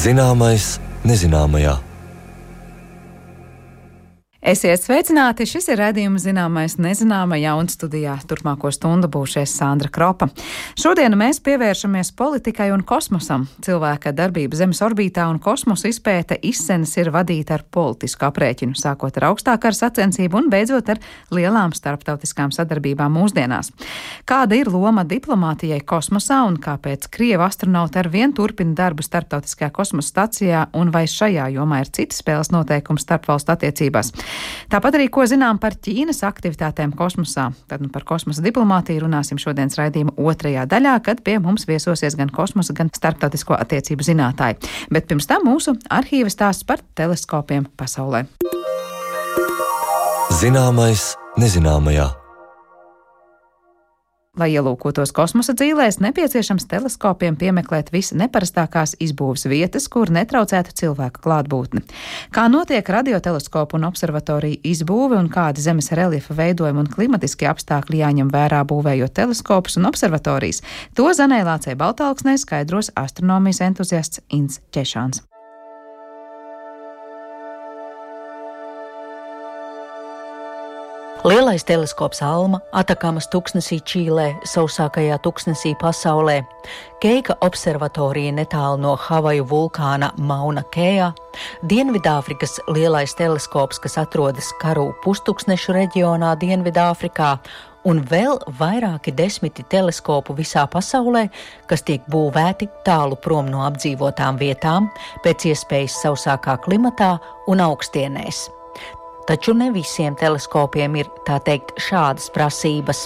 Zināmais nezināmajā. Esiet sveicināti! Šis ir raidījums Zināmais nezināmajā, un studijā turpmāko stundu būšies Sandra Kropa. Šodien mēs pievēršamies politikai un kosmosam. Cilvēka darbība Zemes orbītā un kosmosa izpēte izsenes ir vadīta ar politisku aprēķinu, sākot ar augstākā sacensību un beidzot ar lielām starptautiskām sadarbībām mūsdienās. Kāda ir loma diplomātijai kosmosā un kāpēc Krievu astronauti ar vien turpina darbu starptautiskajā kosmosa stacijā, un vai šajā jomā ir citi spēles noteikumi starpvalstu attiecībās? Tāpat arī, ko zinām par Ķīnas aktivitātēm kosmosā. Tad par kosmosa diplomātiju runāsim šodienas raidījuma otrajā daļā, kad pie mums viesosies gan kosmosa, gan starptautisko attiecību zinātāji. Bet pirms tam mūsu arhīva stāsts par teleskopiem pasaulē. Zināmais nezināmajā. Lai ielūkotos kosmosa dzīvēs, nepieciešams teleskopiem piemeklēt visneparastākās izbūves vietas, kur netraucētu cilvēka klātbūtni. Kā notiek radioteleskopu un observatoriju izbūve un kādi zemes reliefa veidojumi un klimatiskie apstākļi jāņem vērā būvējot teleskopus un observatorijas, to Zanei Lācei Baltalksnei skaidros astronomijas entuziasts Ints Ķešāns. Lielais teleskops Alma, Atakamas tuksnesī Čīlē, sausākajā tuksnesī pasaulē, Keika observatorija netālu no Havaju vulkāna Mauna Kejā, Dienvidāfrikas lielais teleskops, kas atrodas Karu pustuksnešu reģionā Dienvidāfrikā, un vēl vairāki desmiti teleskopu visā pasaulē, kas tiek būvēti tālu prom no apdzīvotām vietām, pēc iespējas sausākā klimatā un augstienēs. Taču ne visiem teleskopiem ir, tā teikt, šādas prasības.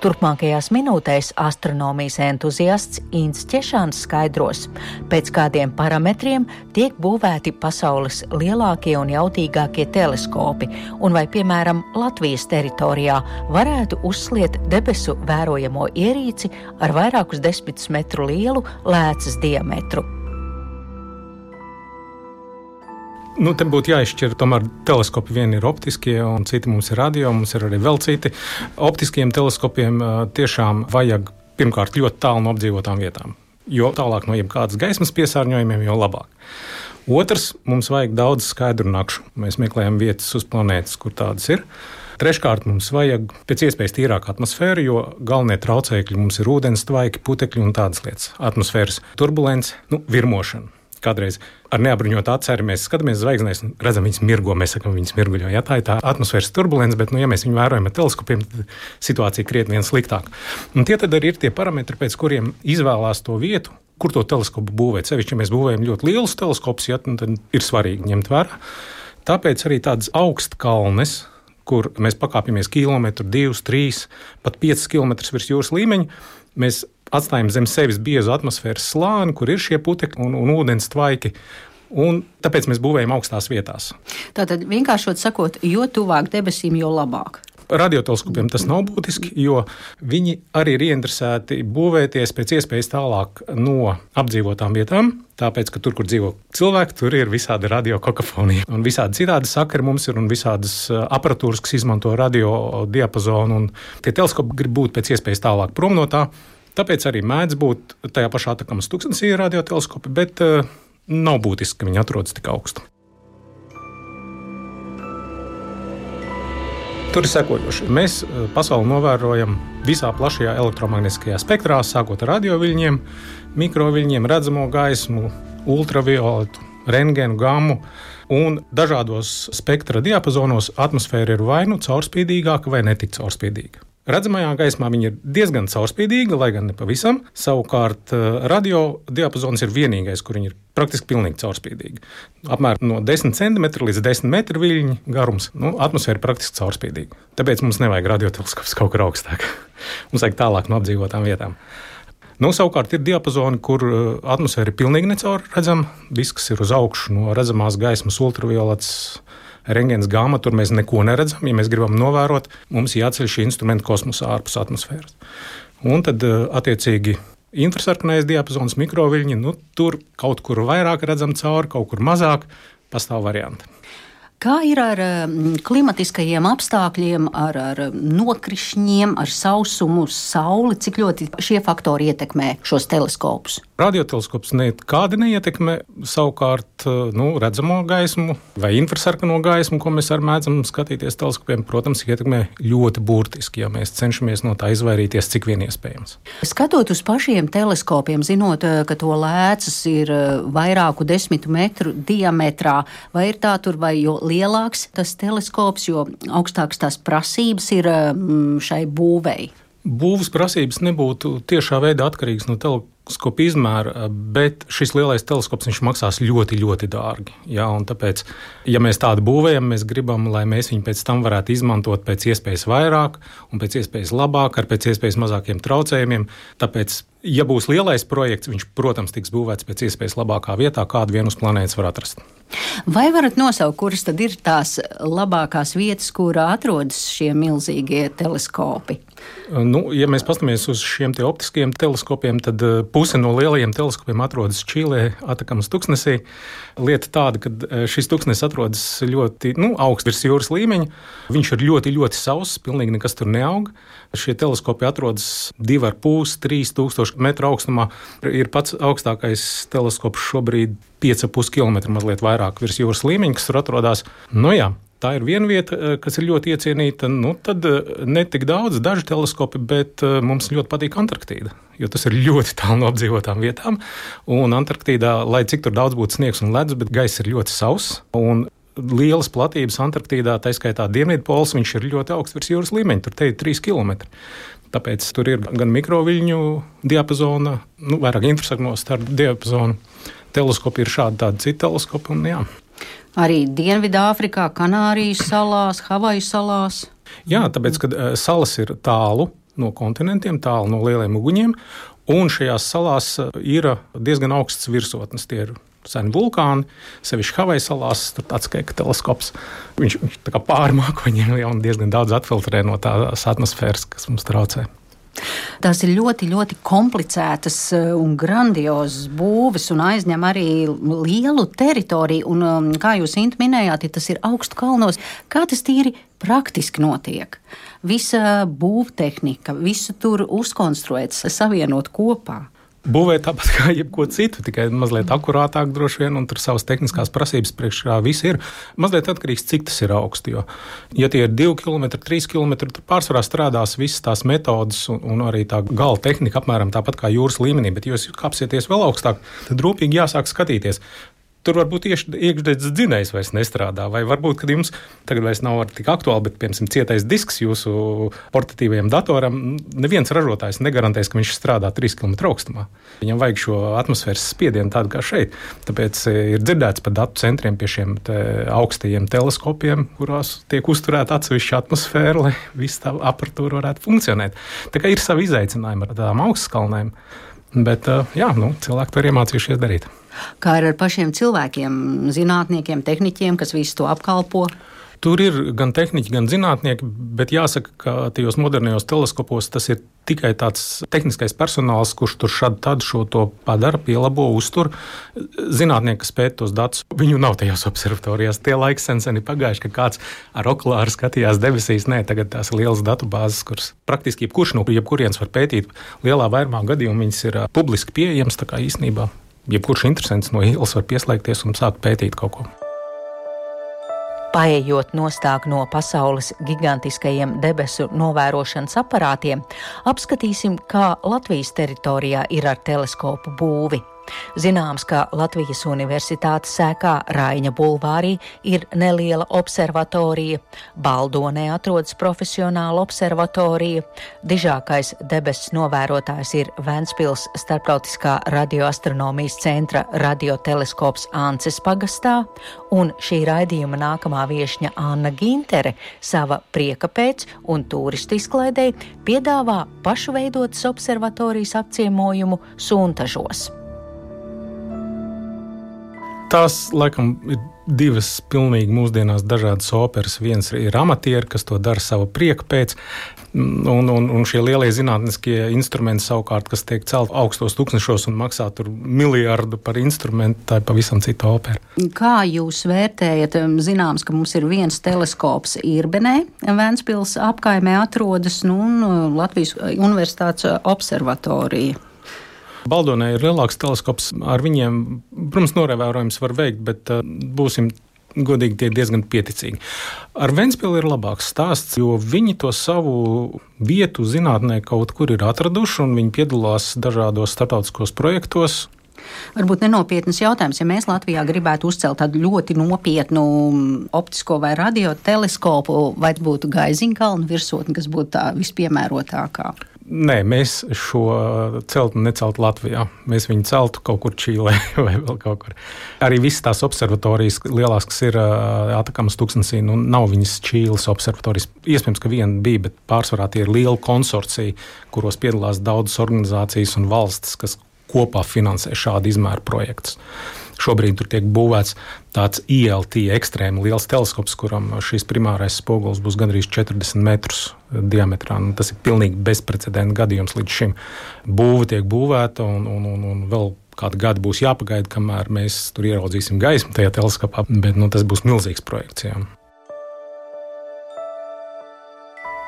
Turpmākajās minūtēs astronomijas entuziasts Ints Ķešāns skaidros, pēc kādiem parametriem tiek būvēti pasaules lielākie un jautīgākie teleskopi, un vai, piemēram, Latvijas teritorijā varētu uzsliet debesu vērojamo ierīci ar vairākus 10 metru lielu lēcas diametru. Te būtu jāizšķir, tomēr teleskopi vieni ir optiskie un citi mums ir radio, mums ir arī vēl citi. Optiskiem teleskopiem tiešām vajag pirmkārt ļoti tālu no apdzīvotām vietām, jo tālāk no jebkādas gaismas piesārņojumiem, jo labāk. Otrs, mums vajag daudz skaidru nakšu. Mēs meklējam vietas uz planētas, kur tādas ir. Treškārt, mums vajag pēc iespējas tīrāku atmosfēru, jo galvenie traucēkļi mums ir ūdens tvaiki, putekļi un tādas lietas. Atmosfēras turbulence, virmošana. Kādreiz ar neapbruņotu aci arī mēs skatāmies zvaigznēs un redzam, viņas mirgo, mēs sakam, viņas mirguļo. Ja, tā ir tā atmosfēras turbulence, bet, ja mēs viņu vērojam ar teleskopiem, tad situācija krietni vien sliktāk. Un tie tad arī ir tie parametri, pēc kuriem izvēlās to vietu, kur to teleskopu būvēt. Sevišķi, ja mēs būvējam ļoti lielus teleskopus, tad ir svarīgi ņemt vērā. Tāpēc arī tādas augstkalnes, kur mēs pakāpjamies kilometru, 2, 3, pat 5 kilometrus virs jūras līmeņa, mēs atstājam zem sevis biezu atmosfēras slāni, kur ir šie putekļi un ūdens tvaiki, un tāpēc mēs būvējam augstās vietās. Tātad, vienkāršot sakot, jo tuvāk debesīm, jo labāk. Radioteleskopiem tas nav būtiski, jo viņi arī ir ieinteresēti būvēties pēc iespējas tālāk no apdzīvotām vietām, tāpēc, ka tur, kur dzīvo cilvēki, tur ir visādi radiokokafonija. Un visādi citādi sakari mums ir un visādas aparatūras, kas izmanto radio diapazonu, un tie teleskopi grib būt pēc iespējas tālāk prom no tā. Tāpēc arī mēdz būt tajā pašā Atakamas tuksnesī radioteleskopi, bet nav būtiski, ka viņi atrodas tik augstu. Tur ir sekojoši. Mēs pasauli novērojam visā plašajā elektromagnētiskajā spektrā, sākot ar radioviļņiem, mikroviļņiem, redzamo gaismu, ultravioletu, rentgenu, gammu, un dažādos spektra diapazonos atmosfēra ir vai nu caurspīdīgāka vai netik caurspīdīga. Redzamajā gaismā viņa ir diezgan caurspīdīga, lai gan ne pavisam. Savukārt radio diapazons ir vienīgais, kur viņa ir praktiski pilnīgi caurspīdīga. Apmēram no 10 cm līdz 10 metru viļņu garums, atmosfēra ir praktiski caurspīdīga. Tāpēc mums nevajag radioteleskops kaut kur augstāk. Mums vajag tālāk no apdzīvotām vietām. Savukārt ir diapazoni, kur atmosfēra ir pilnīgi necaurredzama. Viss, kas ir uz augšu no redzamās gaismas, ultraviolets, rentgens, gamma, tur mēs neko neredzam. Ja mēs gribam novērot, mums jāceļ šī instrumenta kosmosā ārpus atmosfēras. Un tad, attiecīgi, infrasarkanais diapazons, mikroviļņi, tur kaut kur vairāk redzam cauri, kaut kur mazāk, pastāv varianti. Kā ir ar klimatiskajiem apstākļiem, ar nokrišņiem, ar sausumu, sauli? Cik ļoti šie faktori ietekmē šos teleskopus? Radioteleskops nekādi neietekmē, savukārt redzamo gaismu vai infrasarkano gaismu, ko mēs arī mēdzam skatīties teleskopiem, protams, ietekmē ļoti burtiski, ja mēs cenšamies no tā izvairīties, cik vien iespējams. Skatot uz pašiem teleskopiem, zinot, ka to lēcas ir vairāku 10 metru diametrā, vai ir tā tur, vai jo lielāks tas teleskops, jo augstāks tās prasības ir šai būvei? Būvas prasības nebūtu tiešā veidā atkarīgas no teleskopa izmēra, bet šis lielais teleskops viņš maksās ļoti, ļoti dārgi. Jā, un tāpēc, ja mēs tādu būvējam, mēs gribam, lai mēs viņu pēc tam varētu izmantot pēc iespējas vairāk un pēc iespējas labāk, ar pēc iespējas mazākiem traucējumiem. Tāpēc, ja būs lielais projekts, viņš, protams, tiks būvēts pēc iespējas labākā vietā, kādu vien uz planētas var atrast. Vai varat nosaukt, kuras tad ir tās labākās vietas, kurā atrodas šie milzīgie teleskopi? Ja mēs paskatāmies uz šiem optiskajiem teleskopiem, tad puse no lielajiem teleskopiem atrodas Čīlē, Atakamas tuksnesī. Lieta tāda, ka šis tuksnes atrodas ļoti augsts virs jūras līmeņa. Viņš ir ļoti, ļoti sauss, pilnīgi nekas tur neaug. Šie teleskopi atrodas 2,5–3 tūkstoši metru augstumā. Ir pats augstākais teleskops šobrīd 5,5 km mazliet vairāk virs jūras līmeņa, kas tur atrodas. Tā ir viena vieta, kas ir ļoti iecienīta. Tad ne tik daudz, daži teleskopi, bet mums ļoti patīk Antarktīda, jo tas ir ļoti tālu no apdzīvotām vietām. Un Antarktīdā, lai cik tur daudz būtu sniegs un ledus, bet gaiss ir ļoti sauss. Un lielas platības Antarktīdā, tā skaitā Dienvidpols, viņš ir ļoti augsts virs jūras līmeņa, tur te ir 3 km. Tāpēc tur ir gan mikroviļņu diapazona, vairāk infrasarkano starp diapazonu. Teleskopi ir šādi tādi citi teleskopi un jā. Arī Dienvidāfrikā, Kanārijas salās, Havaju salās. Jā, tāpēc, ka salas ir tālu no kontinentiem, tālu no lieliem uguņiem, un šajās salās ir diezgan augsts virsotnes. Tie ir seni vulkāni, sevišķi Havaju salās, tur tāds kā teleskops. Viņš tā kā pāri mākoņiem jau diezgan daudz atfiltrē no tās atmosfēras, kas mums traucē. Tās ir ļoti, ļoti komplicētas un grandiozas būves un aizņem arī lielu teritoriju. Un, kā jūs, Inta, minējāt, ja tas ir augstu kalnos, kā tas tīri praktiski notiek? Visa būvtehnika, visu tur uzkonstruēts, savienot kopā. Būvē tāpat kā jebko citu, tikai mazliet akurātāk droši vien, un tur savas tehniskās prasības priekšā viss ir. Mazliet atkarīgs, cik tas ir augsti, jo, ja tie ir 2 km, 3 km, tur pārsvarā strādās visas tās metodas un arī tā gala tehnika apmēram tāpat kā jūras līmenī, bet ja jūs kāpsieties vēl augstāk, tad rūpīgi jāsāk skatīties. Tur varbūt iekšdedzes dzinējs vairs nestrādā, vai varbūt, kad jums tagad vairs nav tik aktuāli, bet, piemēram, cietais disks jūsu portatīvajam datoram, neviens ražotājs negarantēs, ka viņš strādā 3 km augstumā. Viņam vajag šo atmosfēras spiedienu tādu kā šeit. Tāpēc ir dzirdēts par datu centriem pie šiem augstajiem teleskopiem, kurās tiek uzturēta atsevišķa atmosfēra, lai viss tā aparatūra varētu funkcionēt. Tā kā ir savi izaicinājumi ar tādām augstskalnēm, bet cilvēki to ir iemācījušies darīt. Kā ir ar pašiem cilvēkiem, zinātniekiem, tehniķiem, kas visu to apkalpo? Tur ir gan tehniķi, gan zinātnieki, bet jāsaka, ka tajos modernajos teleskopos tas ir tikai tāds tehniskais personāls, kurš tur šad šo to padara, pielabo, uztur. Zinātnieki, kas pēta tos datus, viņu nav tajās observatorijās. Tie laiki sen ir pagājuši, ka kāds ar okulāru skatījās debesīs. Nē, tagad tās ir lielas datubāzes, kuras praktiski jebkurš no jebkurienes var pētīt. Lielā vairumā gadījumu viņas ir publiski pieejamas, tā kā īstenībā jebkurš interesants no ielas var pieslēgties un sākt pētīt kaut ko. Paejot nostāk no pasaules gigantiskajiem debesu novērošanas aparātiem, apskatīsim, kā Latvijas teritorijā ir ar teleskopu būvi. Zināms, ka Latvijas Universitātes sēkā Raiņa bulvārī ir neliela observatorija, Baldonē atrodas profesionāla observatorija, dižākais debesu novērotājs ir Ventspils Starptautiskā radioastronomijas centra radioteleskops Ances pagastā, un šī raidījuma nākamā viešņa Anna Gintere sava prieka pēc un turistu izklaidei piedāvā pašu veidotas observatorijas apciemojumu Suntažos. Tās, laikam, ir divas pilnīgi mūsdienās dažādas operas. Viens ir amatieri, kas to dara sava prieka pēc, un šie lielie zinātniskie instrumenti savukārt, kas tiek celt augstos tūkstnešos un maksā tur miljardu par instrumentu, tā ir pavisam cita opera. Kā jūs vērtējat? Zināms, ka mums ir viens teleskops Irbenē, Ventspils apkaimē atrodas, un Latvijas Universitātes observatorija. Baldonē ir lielāks teleskops, ar viņiem, protams, novērojums var veikt, bet būsim godīgi, tie diezgan pieticīgi. Ar Ventspili ir labāks stāsts, jo viņi to savu vietu zinātnē kaut kur ir atraduši, un viņi piedalās dažādos starptautiskos projektos. Varbūt nenopietnas jautājums, ja mēs Latvijā gribētu uzcelt tādu ļoti nopietnu optisko vai radioteleskopu, vai būtu Gaiziņkalna virsotne, kas būtu tā vispiemērotākā? Nē, mēs šo celtu neceltu Latvijā. Mēs viņu celtu kaut kur Čīlē vai vēl kaut kur. Arī visas tās observatorijas lielās, kas ir Atakamas tūkstnesī, nav viņas Čīles observatorijas. Iespējams, ka viena bija, bet pārsvarā tie ir liela konsorcija, kuros piedalās daudzas organizācijas un valstis, kas kopā finansē šādu izmēru projektus. Šobrīd tur tiek būvēts tāds ILT ekstrēmi liels teleskops, kuram šīs primārais spogulis būs gandrīz 40 metrus diametrā. Tas ir pilnīgi bezprecedenta gadījums līdz šim. Būva tiek būvēta un vēl kādu gadu būs jāpagaida, kamēr mēs tur ieraudzīsim gaismu tajā teleskopā, bet tas būs milzīgs projekts. Jā.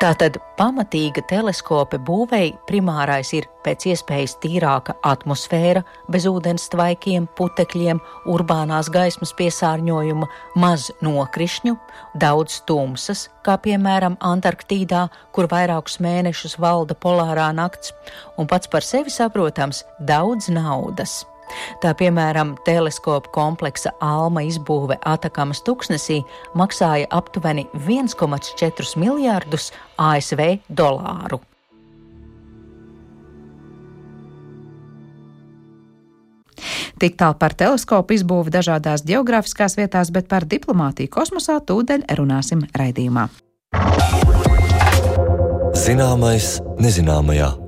Tātad pamatīga teleskopa būvei primārais ir pēc iespējas tīrāka atmosfēra, bez ūdens tvaikiem, putekļiem, urbānās gaismas piesārņojuma, maz nokrišņu, daudz tumsas, kā piemēram Antarktīdā, kur vairākus mēnešus valda polārā nakts, un pats par sevi saprotams daudz naudas. Tā piemēram, teleskopu kompleksa Alma izbūve Atakamas tūkstnesī maksāja aptuveni 1,4 miljārdus ASV dolāru. Tik tālu par teleskopu izbūvi dažādās geogrāfiskās vietās, bet par diplomātiju kosmosā tūdaļ runāsim raidījumā. Zināmais nezināmajā.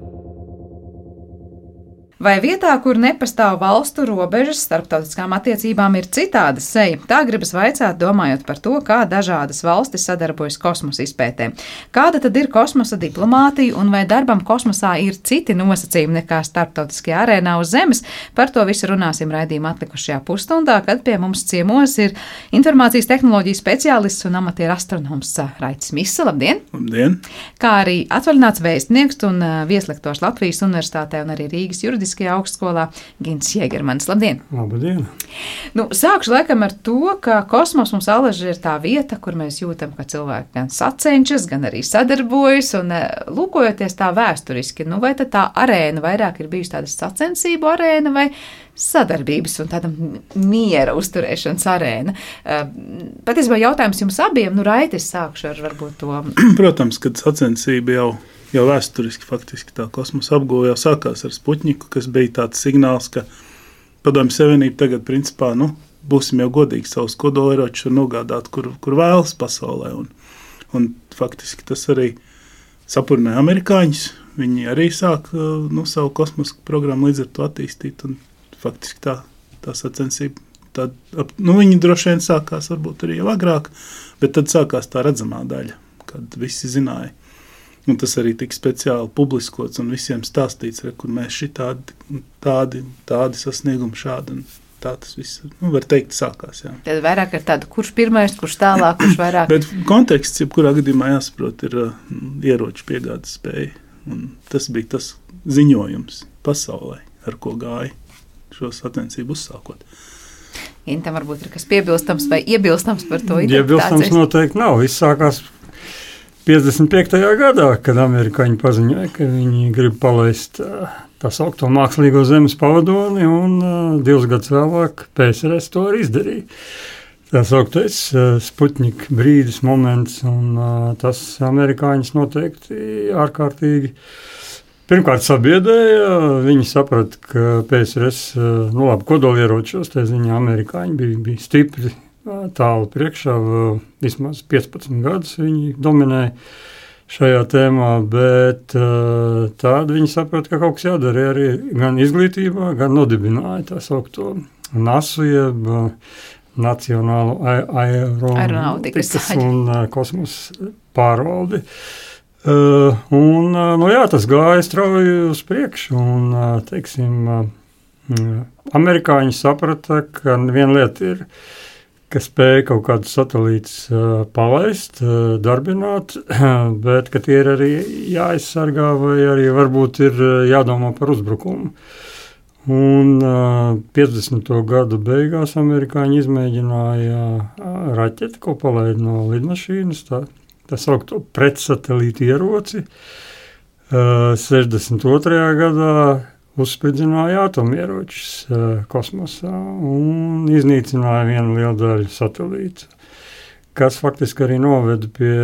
Vai vietā, kur nepastāv valstu robežas, starptautiskām attiecībām ir citāda seja? Tā gribas vaicāt, domājot par to, kā dažādas valstis sadarbojas kosmosa izpētē. Kāda tad ir kosmosa diplomātija un vai darbam kosmosā ir citi nosacījumi nekā starptautiskajā arēnā uz Zemes? Par to visu runāsim raidījuma atlikušajā pusstundā, kad pie mums ciemos ir informācijas tehnoloģiju speciālists un amatieru astronoms Raitis Misa. Labdien! Labdien! Kā arī atvaļināts vēstnieks un vieslektors Latvijas Universitātē un arī Rīgas juridiskajā augstskolā Gints Jēgermanis. Labdien! Labdien! Sākšu laikam ar to, ka kosmos mums alaži ir tā vieta, kur mēs jūtam, ka cilvēki gan sacenšas, gan arī sadarbojas, un lūkojoties tā vēsturiski, vai tad tā arēna vairāk ir bijusi tāda sacensību arēna vai sadarbības un tāda miera uzturēšanas arēna? Patiesībā jautājums jums abiem, Raitis, sākšu ar varbūt to. Protams, kad sacensība jau vēsturiski faktiski tā kosmosa apguve jau sākās ar Sputņiku, kas bija tāds signāls, ka Padomju Savienība tagad principā, būsim jau godīgi, savus kodolieročus var nogādāt, kur vēlas pasaulē. Un faktiski tas arī sapurināja amerikāņus. Viņi arī sāk savu kosmosa programmu līdz ar to attīstīt. Un faktiski tā sacensība, viņi droši vien sākās varbūt arī jau agrāk, bet tad sākās tā redzamā daļa, kad visi zināja. Un tas arī tika speciāli publiskots un visiem stāstīts, kur mēs tādi sasniegumi šādi. Un tā tas viss, var teikt, sākās. Jā. Tad vairāk ar tādu, kurš pirmais, kurš tālāk, kurš vairāk. Bet konteksts, jebkurā gadījumā jāsaprot, ir ieroču piegādes spēja. Un tas bija tas ziņojums pasaulē, ar ko gāja šo sacensību uzsākot. Intam varbūt ir kas piebilstams vai iebilstams par to? Iebilstams noteikti nav. Viss sākās 55. gadā, kad amerikāņi paziņoja, ka viņi grib palaist tā saukto mākslīgo Zemes pavadoni, un 2 gadus vēlāk PSRS to arī izdarīja. Tā sauktais Sputņika brīdis, moments, un tas amerikāņus noteikti ārkārtīgi pirmkārt sabiedēja. Viņi saprata, ka PSRS, kodolieročos, tā ziņā amerikāņi bija stipri tālu priekšā, vismaz 15 gadus viņi dominēja šajā tēmā, bet tādi viņi saprata, ka kaut kas jādara arī gan izglītībā, gan nodibināja tā saukto NASU, jeb Nacionālo aeronautikas un kosmosa pārvaldi. Tas gāja strauji uz priekšu, un, amerikāņi saprata, ka viena lieta ir, ka spēja kaut kādus satelītus palaist, darbināt, bet ka tie ir arī jāaizsargā vai arī varbūt ir jādomā par uzbrukumu. Un 50. gadu beigās amerikāņi izmēģināja raķeti, ko palaid no lidmašīnas, tā saukto pretsatelītu ieroci. 62. gadā uzspridzināja atomieročus kosmosā un iznīcināja vienu lielu daļu satelītu, kas faktiski arī noveda pie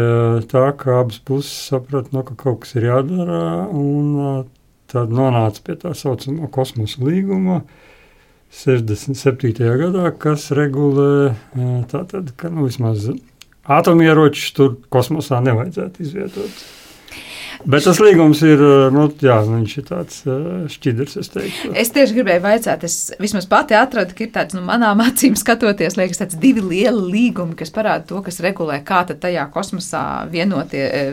tā, ka abas puses saprata, ka kaut kas ir jādara, un tad nonāca pie tā saucamā kosmosa līguma 67. gadā, kas regulē tātad, ka vismaz atomieročus tur kosmosā nevajadzētu izvietot. Bet tas līgums ir, viņš ir tāds šķidrs, es teiktu. Es tieši gribēju vaicāt, es vismaz pati atradu, ka ir tāds, manām acīm skatoties, liekas tāds divi lieli līgumi, kas parāda to, kas regulē, kā tad tajā kosmosā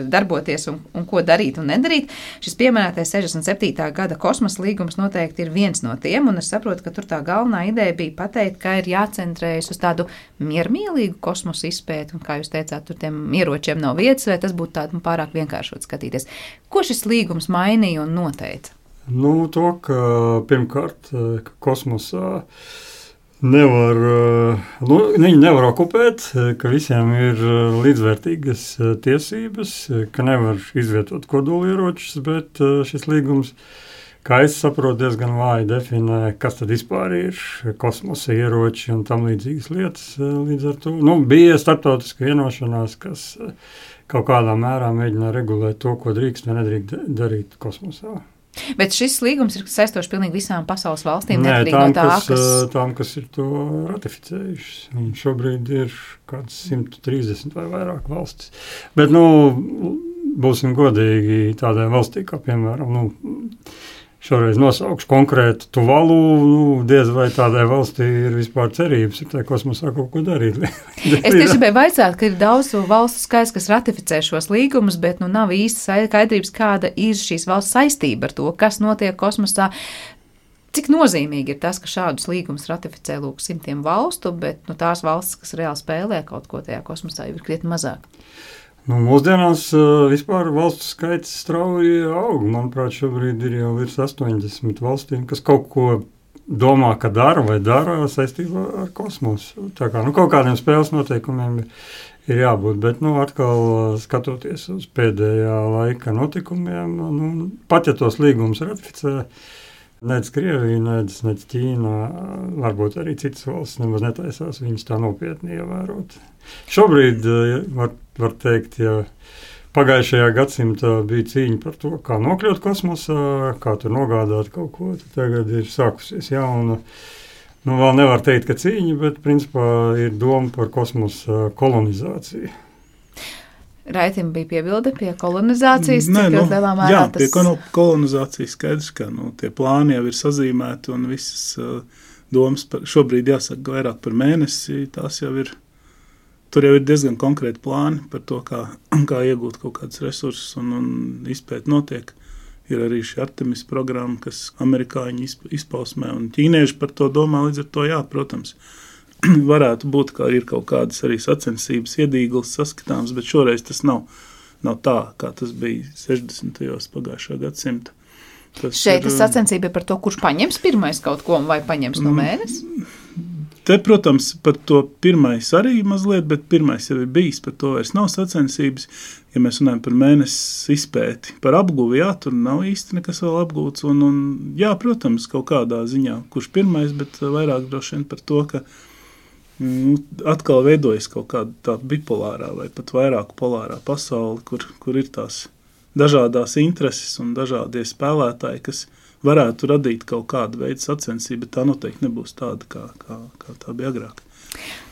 darboties un ko darīt un nedarīt. Šis pieminētais 67. gada kosmosa līgums noteikti ir viens no tiem, un es saprotu, ka tur tā galvenā ideja bija pateikt, ka ir jācentrējas uz tādu miermīlīgu kosmosa izpēti, un kā jūs teicāt, tur tiem ieročiem nav vietas, vai tas būtu tādu pārāk vienkāršot skatīties. Ko šis līgums mainīja un noteica? To, ka pirmkārt kosmosā viņi nevar okupēt, ka visiem ir līdzvērtīgas tiesības, ka nevar izvietot kodolieročus, bet šis līgums, kā es saprotu, diezgan vāji definē, kas tad vispār ir kosmosa ieroči un tam līdzīgas lietas. Līdz ar to bija starptautiska vienošanās, kas kaut kādā mērā mēģina regulēt to, ko drīkst vai nedrīkst darīt kosmosā. Bet šis līgums ir saistošs pilnīgi visām pasaules valstīm, neatkarīgi no tā, tām, kas ir to ratificējušas. Un šobrīd ir kāds 130 vai vairāk valstis. Bet, būsim godīgi tādai valstī, kā piemēram, šoreiz nosaukšu konkrētu Tuvalu, diez vai tādai valstī ir vispār cerības, ir tā kosmosā kaut ko darīt. Es tieši gribēju vaicāt, ka ir daudz valstu skaits, kas ratificē šos līgumus, bet nav īsti skaidrības, kāda ir šīs valsts saistība ar to, kas notiek kosmosā. Cik nozīmīgi ir tas, ka šādus līgumus ratificē simtiem valstu, bet tās valstis, kas reāli spēlē kaut ko tajā kosmosā, ir krietni mazāk? Mūsdienās vispār valstu skaits strauji aug. Manuprāt, šobrīd ir jau virs 80 valstīm, kas kaut ko domā, ka dara vai dara saistībā ar kosmosu. Tā kā kaut kādiem spēles noteikumiem ir jābūt, bet atkal skatoties uz pēdējā laika notikumiem, pat ja tos līgumus ratificē, nec Krievija, nec Ķīna, varbūt arī citas valsts nemaz netaisās viņus tā nopietni ievērot. Šobrīd var teikt, ja pagājušajā gadsimtā bija cīņa par to, kā nokļūt kosmosā, kā tur nogādāt kaut ko, tad tagad ir sākusies jauna. Vēl nevar teikt, ka cīņa, bet principā ir doma par kosmosa kolonizāciju. Raitim bija piebilde pie kolonizācijas? Pie kolonizācijas skaidrs, ka tie plāni jau ir sazīmēti un visas domas šobrīd jāsaka vairāk par mēnesi, tās jau ir. Tur jau ir diezgan konkrēti plāni par to, kā iegūt kaut kādus resursus un izpēt notiek. Ir arī šī Artemis programma, kas amerikāņi izpausmē un ķīnieši par to domā, līdz ar to protams, varētu būt, ka ir kaut kādas arī sacensības iedīglis saskatāms, bet šoreiz tas nav tā, kā tas bija 60. pagājušā gadsimta. Šeit tas sacensība ir par to, kurš paņems pirmais kaut ko vai paņems no mēnesi? Te, protams, par to pirmais arī mazliet, bet pirmais jau ir bijis, par to vairs nav sacensības. Ja mēs runājam par mēnesi izpēti, par apguvi, tur nav īsti nekas vēl apgūts. Un protams, kaut kādā ziņā, kurš pirmais, bet vairāk droši vien par to, ka atkal veidojas kaut kāda tā bipolārā vai pat vairāk polārā pasauli, kur ir tās dažādās intereses un dažādie spēlētāji, kas varētu radīt kaut kādu veidu sacensību, bet tā noteikti nebūs tāda, kā tā bija agrāk.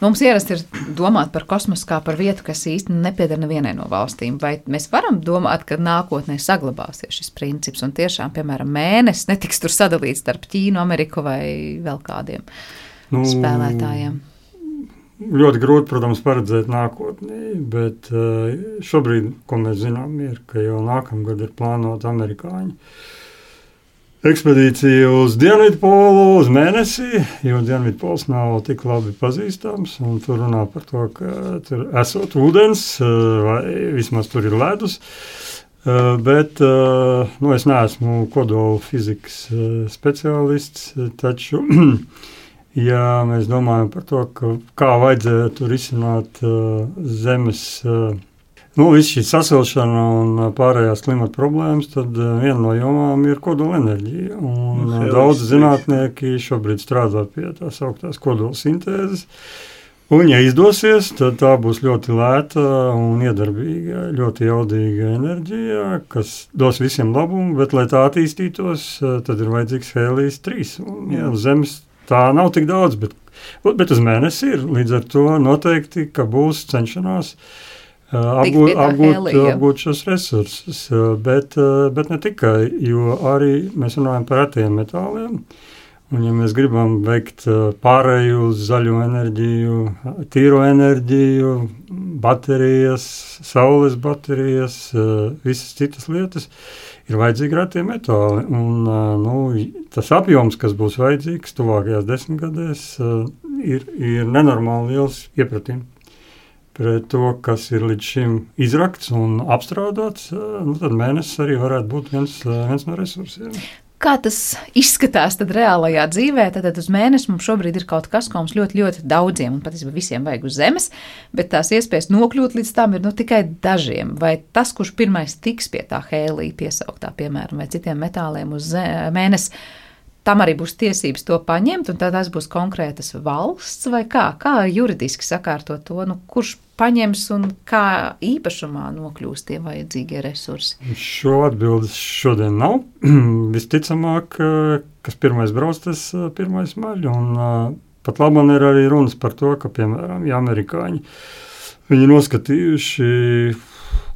Mums ierasti ir domāt par kosmosu kā par vietu, kas īsti nepieder nevienai no valstīm. Vai mēs varam domāt, ka nākotnē saglabāsies šis princips un tiešām, piemēram, mēnesis netiks tur sadalīts starp Ķīnu, Ameriku vai vēl kādiem? spēlētājiem? Ļoti grūti, protams, paredzēt nākotnē, bet šobrīd, ko mēs zinām, ir, ka jau nākamgad ir plānota amerikāņu ekspedīcija uz Dienvidpolu, uz Mēnesi, jo Dienvidpols nav tik labi pazīstams, un tur runā par to, ka tur esot ūdens, vai vismaz tur ir ledus, bet es neesmu kodola fizikas speciālists, taču, ja mēs domājam par to, kā vajadzētu risināt zemes viss šī sasilšana un pārējās klimata problēmas, tad viena no jomām ir kodola enerģija. Un daudz zinātnieki šobrīd strādā pie tās augtās kodola sintēzes. Un, ja izdosies, tad tā būs ļoti lēta un iedarbīga, ļoti jaudīga enerģija, kas dos visiem labumu, bet, lai tā attīstītos, tad ir vajadzīgs hēlijs 3. Un uz Zemes tā nav tik daudz, bet uz Mēnesi ir. Līdz ar to noteikti, ka būs cenšanās apgūt šos resursus, bet ne tikai, jo arī mēs runājam par retiem metāliem, un ja mēs gribam veikt pārēju uz zaļo enerģiju, tīro enerģiju, baterijas, saules baterijas, visas citas lietas, ir vajadzīgi retie metāli, un tas apjoms, kas būs vajadzīgs tuvākajās 10 gadēs, ir nenormāli liels iepratījums pret to, kas ir līdz šim izrakts un apstrādāts, tad Mēnesis arī varētu būt viens no resursiem. Kā tas izskatās tad reālajā dzīvē? Tad uz Mēnesi mums šobrīd ir kaut kas, ko mums ļoti, ļoti daudziem un patiesībā visiem vajag uz Zemes, bet tās iespējas nokļūt līdz tam ir tikai dažiem. Vai tas, kurš pirmais tiks pie tā hēlija piesauktā, piemēram, vai citiem metāliem uz Mēnesi, tam arī būs tiesības to paņemt, un tās būs konkrētas valsts, vai kā juridiski sakārtot to, kurš paņems un kā īpašumā nokļūst tie vajadzīgie resursi? Šo atbildes šodien nav. Visticamāk, kas pirmais brauc, tas pirmais maļ, un pat labam ir arī runas par to, ka, piemēram, ja amerikāņi, viņi noskatījuši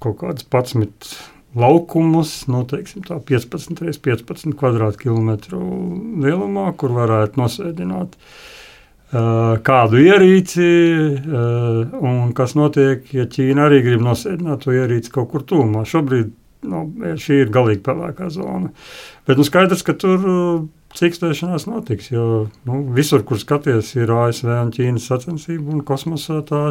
kaut kādas 11 laukumus, teiksim tā 15 x 15 kvadrātkilometru lielumā, kur varētu nosēdināt kādu ierīci, un kas notiek, ja Ķīna arī grib nosēdināt to ierīci kaut kur tūmā. Šobrīd šī ir galīgi pelēkā zona. Bet skaidrs, ka tur cikstēšanās notiks, jo visur, kur skaties, ir ASV un Ķīnas sacensība, un kosmosā tā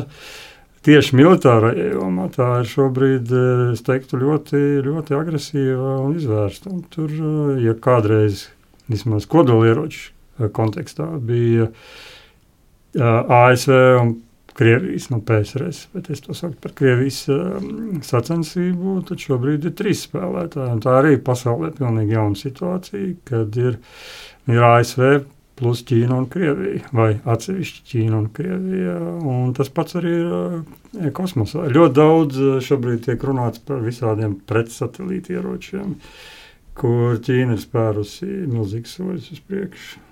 tieši militārajā jomā tā ir šobrīd, es teiktu, ļoti, ļoti agresīva un izvērsta. Un tur, ja kādreiz vismaz kodolieroču kontekstā bija ASV un Krievijas, PSRS, bet es to saucu par Krievijas sacensību, tad šobrīd ir 3 spēlētāji. Un tā arī pasaulē pilnīgi jauna situācija, kad ir ASV plus Ķīna un Krievija, vai atsevišķi Ķīna un Krievija, un tas pats arī ir kosmosā. Ļoti daudz šobrīd tiek runāts par visādiem pretsatelīti ieročiem, kur Ķīna ir spērusi milzīgas soļus uz priekšu.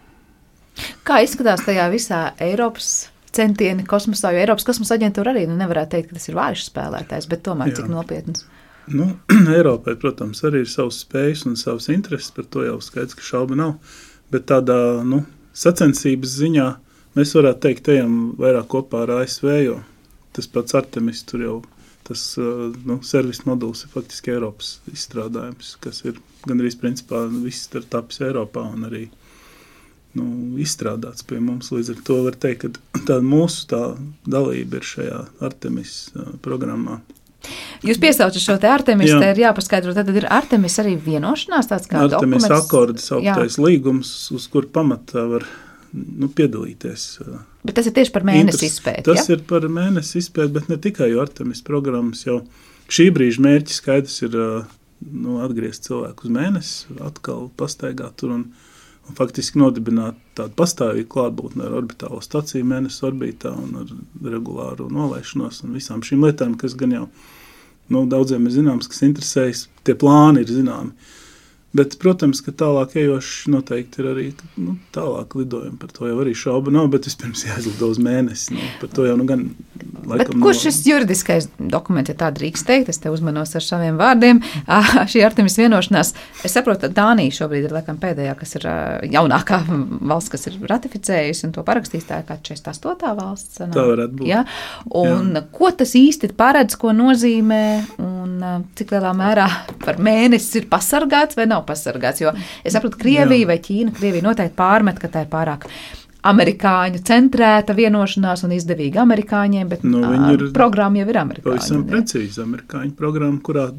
Kā izskatās tajā visā Eiropas centieni kosmosā, jo Eiropas kosmosa aģentūra arī nevarētu teikt, ka tas ir vājš spēlētājs, bet tomēr cik nopietns? Eiropai, protams, arī ir savas spējas un savas intereses, par to jau skaidrs, ka šauba nav, bet tādā, sacensības ziņā mēs varētu teikt, ejam vairāk kopā ar ASV, jo tas pats Artemis tur jau, tas servis moduls ir faktiski Eiropas izstrādājums, kas ir gandrīz principā viss ir tapis Eiropā un arī izstrādāts pie mums. Līdz ar to var teikt, ka mūsu dalība ir šajā Artemis programmā. Jūs piesaucat šo te Artemis, te ir jāpaskaidro, tad ir Artemis arī vienošanās tāds kā Artemis dokuments? akordi sauktais līgums, uz kur pamatā var piedalīties. Bet tas ir tieši par Mēnesi izpēti, Tas ir par Mēnesi izpēti, bet ne tikai, jo Artemis programmas jau šī brīža mērķis skaidrs ir atgriezt cilvēku uz Mēnesi, atkal pastaigāt tur un faktiski nodibināt tādu pastāvīgu klātbūtni ar orbitālo staciju Mēnesis orbītā un ar regulāru nolaišanos un visām šīm lietām, kas gan jau daudziem ir zināms, kas interesējas, tie plāni ir zināmi. Bet, protams, ka tālāk ejoši noteikti ir arī tālāk lidojumi, par to jau arī šauba nav, bet vispirms jāizlido uz Mēnesi. Par to jau gan Bet kurš šis juridiskais dokuments, ja tā drīkst teikt, es te uzmanos ar saviem vārdiem, šī Artemis vienošanās, es saprotu, Dānija šobrīd ir laikam pēdējā, kas ir jaunākā valsts, kas ir ratificējusi un to parakstījis, tā kā 48. valsts. Tā varētu būt. Ja? Un ko tas īsti paredz, ko nozīmē un cik lielā mērā par mēnesi ir pasargāts vai nav pasargāts? Jo es saprotu, Krievija vai Ķīna, Krievija noteikti pārmet, ka tā ir pārāk amerikāņu centrēta vienošanās un izdevīga amerikāņiem, bet programma jau ir amerikāņu. Pavisam precīzi amerikāņu programma, kurā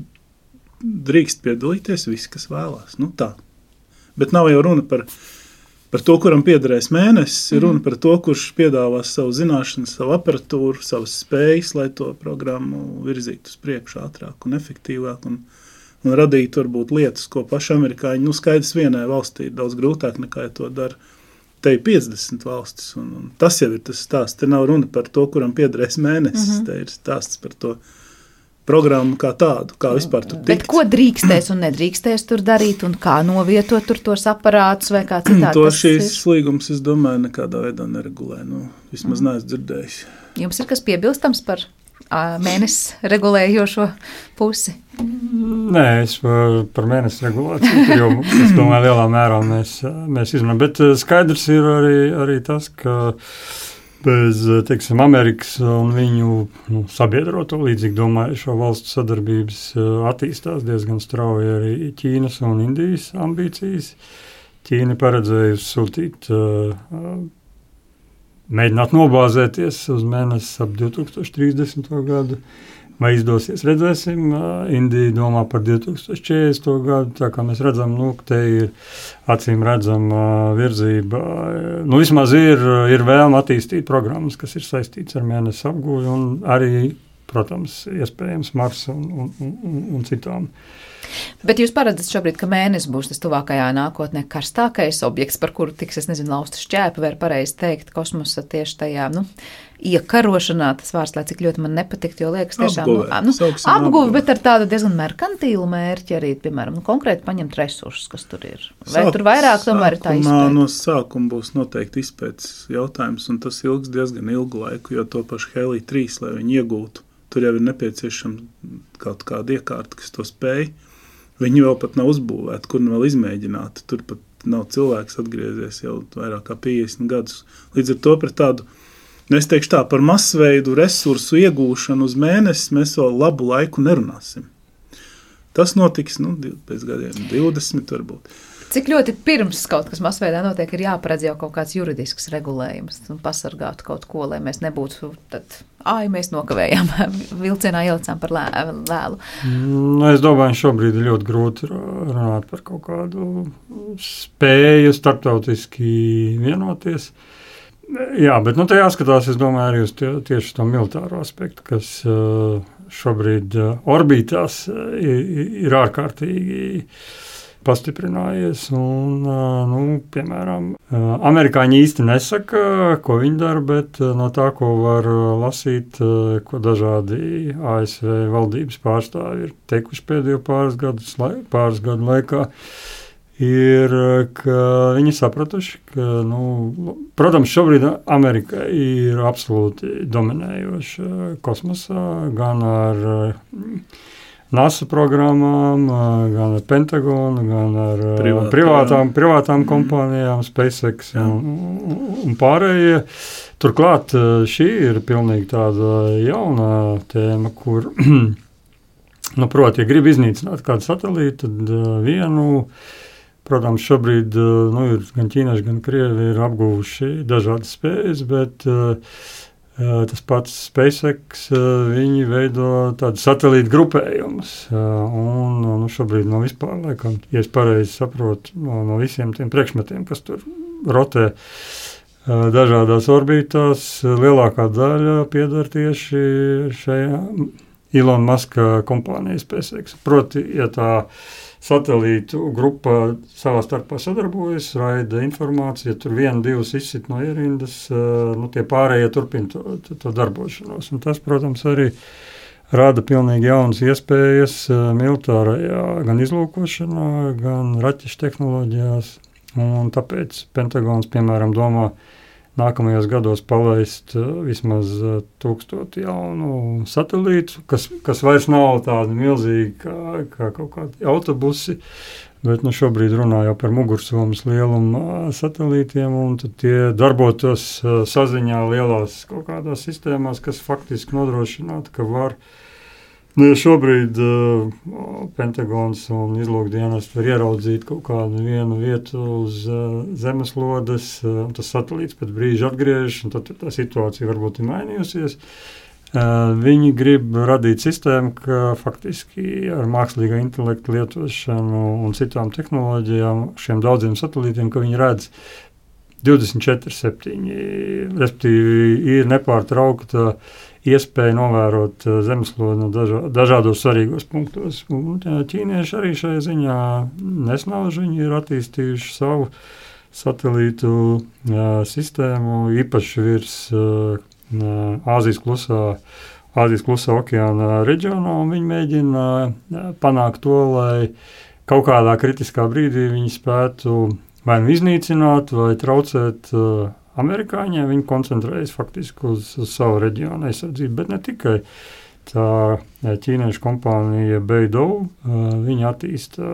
drīkst piedalīties visi, kas vēlās. Nu tā. Bet nav jau runa par to, kuram piederēs mēnesis, ir runa par to, kurš piedāvās savu zināšanu, savu aparatūru, savas spējas, lai to programmu virzītu uz priekšu ātrāk un efektīvāk un radītu varbūt lietas, ko paši amerikāņi, skaidrs vienai valstī ir daudz grūtāk nekā ja to dara. Te ir 50 valstis, un tas jau ir tas stāsts. Te nav runa par to, kuram piederēs mēnesis. Te ir stāsts par to programmu kā tādu, kā vispār tur tikt. Bet ko drīkstēs un nedrīkstēs tur darīt, un kā novietot tur tos aparātus vai kā citādi? To šīs līgums, es domāju, nekādā veidā neregulē. Vismaz neesmu dzirdējis. Jums ir kas piebilstams par mēnesi regulējošo pusi? Nē, es par mēnesi regulāciju, jo es domāju, lielā mērā mēs izmanām. Bet skaidrs ir arī tas, ka bez, teiksim, Amerikas un viņu sabiedroto līdzīgi domājušo valstu sadarbības attīstās diezgan strauji arī Ķīnas un Indijas ambīcijas. Ķīna paredzējusi sūtīt mēģināt nobāzēties uz mēnesi ap 2030. gadu. Vai izdosies, redzēsim. Indija domā par 2040. gadu, tā kā mēs redzam, te ir acīm redzama virzība. Vismaz ir vēlme attīstīt programmas, kas ir saistīts ar mēnesi apgūvi un arī, protams, iespējams Marsa un citām. Bet jūs paredzat šobrīd, ka mēnesis būs tas tuvākajā nākotnē karstākais objekts, par kuru tiks, lausta šķēpa, vai pareizi teikt, kosmosa tieši tajā, iekarošanā, tas vārds, lai cik ļoti man nepatikt, jo liekas tiešām apguvi, bet ar tādu diezgan merkantīlu mērķi arī, piemēram, konkrēti paņemt resursus, kas tur ir. Vai tur vairāk tomēr ir tā izpēta? No sākuma būs noteikti izpētes jautājums, un tas ilgs diezgan ilgu laiku, jo to pašu Helija 3, lai viņi iegūtu, tur jau ir nepieciešama kaut kāda iekārta, kas to spēj. Viņi vēl pat nav uzbūvēti, kur vēl izmēģināti. Tur pat nav cilvēks atgriezies jau vairāk kā 50 gadus. Līdz ar to par tādu, es teikšu tā, par masveidu resursu iegūšanu uz mēnesi mēs vēl labu laiku nerunāsim. Tas notiks, pēc gadiem 20 varbūt. Cik ļoti pirms kaut kas masveidā notiek, ir jāparedz jau kaut kāds juridisks regulējums un pasargātu kaut ko, lai mēs nebūtu tad, mēs nokavējām, vilcienā ielicām par lēlu. Es domāju, šobrīd ir ļoti grūti runāt par kaut kādu spēju starptautiski vienoties. Jā, bet te jāskatās, es domāju, arī uz tieši to militāro aspektu, kas šobrīd orbītās ir ārkārtīgi pastiprinājies, un, piemēram, amerikāņi īsti nesaka, ko viņi dara, bet no tā, ko var lasīt, ko dažādi ASV valdības pārstāvi ir teikuši pēdējo pāris gadu laikā, ir, ka viņi sapratuši, ka, protams, šobrīd Amerika ir absolūti dominējoša kosmosā, gan ar NASA programmām, gan ar Pentagonu, gan ar privātām kompānijām, SpaceX un pārējie. Turklāt šī ir pilnīgi tāda jauna tēma, kur, proti, ja grib iznīcināt kādu satelītu, tad protams, šobrīd ir gan ķīnieši, gan krievi ir apguvuši dažādas spējas, bet tas pats SpaceX, viņi veido tādu satelītu grupējumus, un šobrīd vispār, laikam, ja es pareizi saprotu, no visiem tiem priekšmetiem, kas tur rotē dažādās orbītās, lielākā daļa pieder tieši šajā Elon Muska kompānijas SpaceX. Proti, ja tā satelītu grupa savā starpā sadarbojas, raida informāciju, ja tur 1-2 izsit no ierindas, tie pārējie turpina to darbošanos. Un tas, protams, arī rada pilnīgi jaunas iespējas militārajā gan izlūkošanā, gan raķešu tehnoloģijās. Un tāpēc Pentagons, piemēram, domā nākamajos gados palaist vismaz 1000 jaunu satelītu, kas vairs nav tādi milzīgi kā kaut kādi autobusi, bet šobrīd runā jau par mugursomas lielumu satelītiem, un tad tie darbotos saziņā lielās kaut kādās sistēmās, kas faktiski nodrošinātu, ka var. Ja šobrīd Pentagons un izlūkdienas var ieraudzīt kaut kādu vienu vietu uz zemeslodes, un tas satelīts pēc brīža atgriežas, un tad tā situācija varbūt ir mainījusies. Viņi grib radīt sistēmu, ka faktiski ar mākslīgā intelekta lietošanu un citām tehnoloģijām šiem daudziem satelītiem, ka viņi redz 24/7, respektīvi ir nepārtraukta iespēja novērot zemeslodi no dažādos svarīgos punktos. Un ķīnieši arī šajā ziņā nesnauž, viņi ir attīstījuši savu satelītu sistēmu, īpaši virs Āzijas klusā okeāna reģionā, un viņi mēģina panākt to, lai kaut kādā kritiskā brīdī viņi spētu vai iznīcināt, vai traucēt amerikāņiem. Viņi koncentrējas faktiski uz savu reģionu aizsardzību, bet ne tikai. Tā ķīniešu kompānija Beidou, viņi attīsta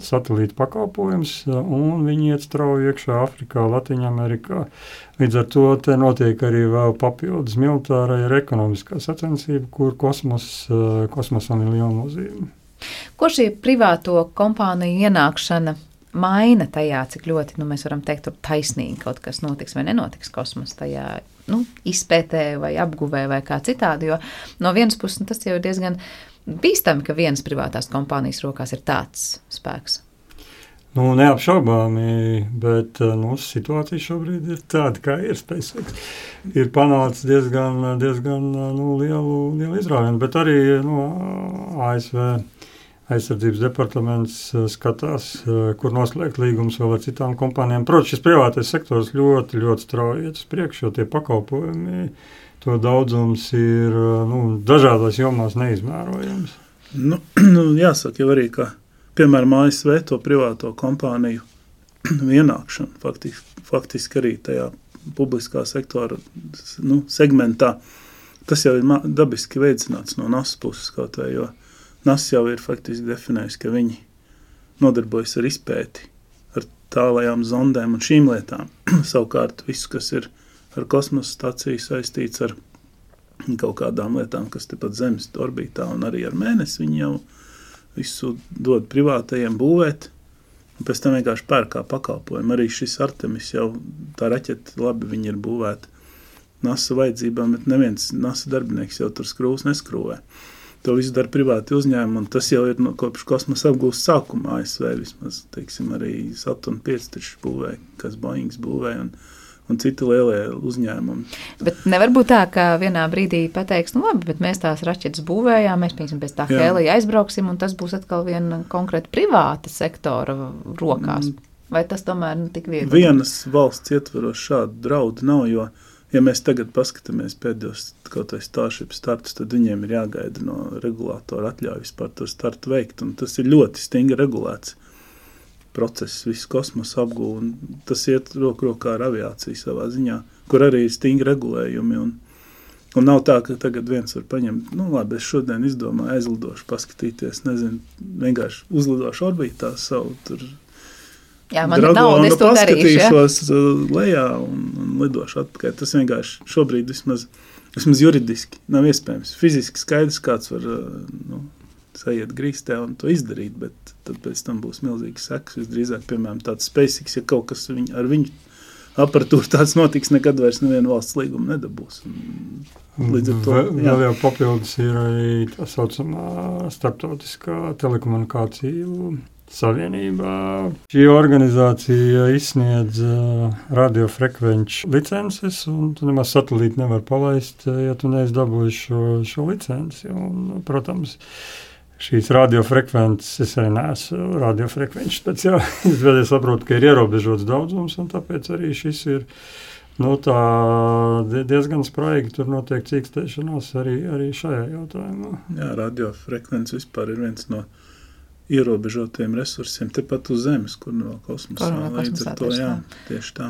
satelītu pakalpojumus, un viņi iet strauji iekšā Afrikā, Latviņamerikā. Līdz ar to te notiek arī vēl papildus militārā ir ekonomiskā sacensība, kur kosmosam ir liela nozīme. Ko šī privāto kompāniju ienākšana maina tajā, cik ļoti, mēs varam teikt, tur taisnīgi kaut kas notiks vai nenotiks kosmosa tajā, izpētē vai apguvē vai kā citādi, jo no vienas puses tas jau ir diezgan bīstami, ka vienas privātās kompānijas rokās ir tāds spēks. Neapšaubāmi, bet situācija šobrīd ir tāda, kā ir SpaceX. Ir panācis diezgan lielu izrāvienu, bet arī ASV aizsardzības departaments skatās, kur noslēgt līgumus vēl ar citām kompānijām. Protams, šis privātais sektors ļoti, ļoti strauji iet uz priekšu, jo tie pakalpojumi, to daudzums ir dažādās jomās neizmērojams. Jāsaka jau arī, ka, piemēram, ASV to privāto kompāniju ienākšanu, faktiski arī tajā publiskā sektora segmentā, tas jau ir dabiski veicināts no NASA puses kaut vai, jo NASA jau ir faktiski definējusi, ka viņi nodarbojas ar izpēti, ar tālajām zondēm un šīm lietām. Savukārt visu, kas ir ar kosmosa staciju saistīts ar kaut kādām lietām, kas tepat Zemes orbītā un arī ar Mēnesi, viņi jau visu dod privātajiem būvēt, un pēc tam vienkārši pērkā pakalpojumu. Arī šis Artemis jau, tā raķete, labi, viņi ir būvēti NASA vajadzībām, bet neviens NASA darbinieks jau tur skrūvs neskrūvē. To visu dara privāti uzņēmumi, un tas jau ir kopš kosmosa apgūst sākuma ASV vismaz, teiksim, arī Saturn 5 taču būvēja, kas Boeings būvēja, un citi lielie uzņēmumi. Bet nevar būt tā, ka vienā brīdī pateiks, labi, bet mēs tās raķetes būvējām, mēs, piemēram, pēc tā Helija aizbrauksim, un tas būs atkal viena konkrēta privāta sektora rokās. Vai tas tomēr tik viegli? Vienas valsts ietveros šādu draudu nav, jo ja mēs tagad paskatāmies pēdējos kaut vai Starship startus, tad viņiem ir jāgaida no regulātora atļauju vispār to startu veikt, un tas ir ļoti stingri regulēts process, visu kosmosa apgūvu, un tas iet rokā ar aviāciju savā ziņā, kur arī ir stingri regulējumi, un nav tā, ka tagad viens var paņemt, labi, es šodien izdomāju, aizlidošu, paskatīties, nezinu, vienkārši uzlidošu orbītā savu tur, jā, man ir nauda, es to darīšu, paskatīšos lejā un lidošu atpakaļ. Tas vienkārši šobrīd vismaz juridiski nav iespējams. Fiziski skaidrs, kāds var sajiet grīstē un to izdarīt, bet tad pēc tam būs milzīgs seks. Visdrīzāk, piemēram, tāds SpaceX, ja kaut kas ar viņu aparatūru tāds notiks, nekad vairs nevienu valsts līgumu nedabūs. Līdz ar to, vēl jau papildus ir arī tā saucamā starptautiskā telekomunikāciju savienībā. Šī organizācija izsniedz radiofrekvenču licences, un tu nemaz satelīti nevar palaist, ja tu neesi dabūjis šo licenci. Un, protams, šīs radiofrekvences, es arī neesmu radiofrekvenču speciālists, bet es saprotu, ka ir ierobežots daudzums, un tāpēc arī šis ir tā diezgan spraigi, tur notiek cīkstēšanās arī šajā jautājumā. Jā, radiofrekvences vispār ir viens no ierobežotiem resursiem tepat uz Zemes, kur no kosmosā. Līdz ar to, jā, tieši tā.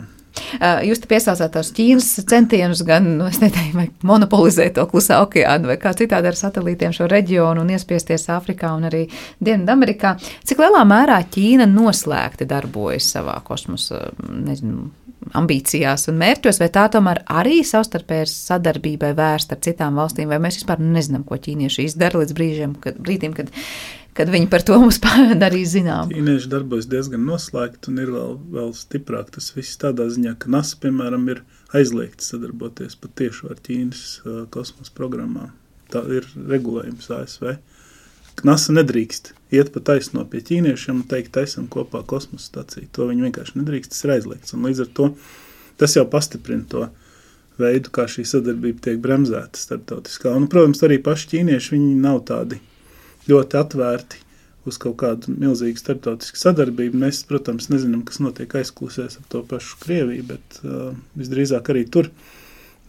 Jūs te piesaucāt tos Ķīnas centienus gan, es neteiktu, vai monopolizēt to Klusā okeānu vai kā citādi ar satelītiem šo reģionu un iespiesties Āfrikā un arī Dienvidamerikā. Cik lielā mērā Ķīna noslēgti darbojas savā kosmosa, ambīcijās un mērķos, vai tā tomēr arī savstarpēji sadarbībai vērsta ar citām valstīm, vai mēs vispār nezinām, ko ķīnieši izdara līdz brīdim, kad viņi par to mums darīja zinām. Ķīnieši darbojas diezgan noslēgti un ir vēl stiprāk tas viss tādā ziņā, ka NASA, piemēram, ir aizliegti sadarboties pat tieši ar Ķīnas kosmosa programmām. Tā ir regulējums ASV. NASA nedrīkst iet pa taisno pie ķīniešiem un teikt, taisam kopā kosmosa staciju. To viņi vienkārši nedrīkst, tas ir aizliegts. Un līdz ar to tas jau pastiprina to veidu, kā šī sadarbība tiek bremzēta starptautiskā. Un, protams, arī paši ķīnieši, viņi nav tādi ļoti atvērti uz kaut kādu milzīgu starptautisku sadarbību. Mēs, protams, nezinām, kas notiek aizklusēs ar to pašu Krieviju, bet visdrīzāk arī tur